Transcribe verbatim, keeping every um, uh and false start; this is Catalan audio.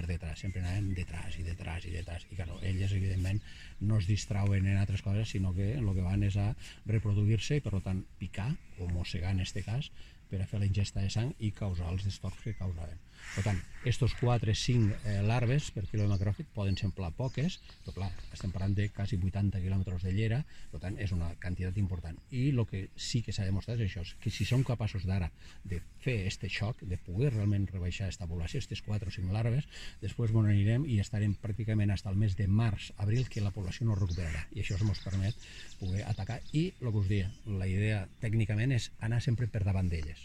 per detrás, sempre anaven detrás i detrás i detrás, i claro, elles evidentment no es distrauen en altres coses, sinó que el que van és a reproduir-se i per tant picar o mossegar en aquest cas per a fer la ingesta de sang i causar els destorts que causaven. Per tant, estos quatre cinc eh, larves per quilo de macròfag poden semblar poques, però clar, estem parlant de quasi vuitanta quilòmetres de llera, per tant és una quantitat important. I el que sí que s'ha demostrat és això, que si som capaços d'ara de fer aquest xoc, de poder realment rebaixar aquesta població, aquestes quatre o cinc larves, després bon anirem i estarem pràcticament fins al mes de març, abril, que la població no recuperarà. I això ens permet poder atacar. I el que us deia, la idea tècnicament és anar sempre per davant d'elles.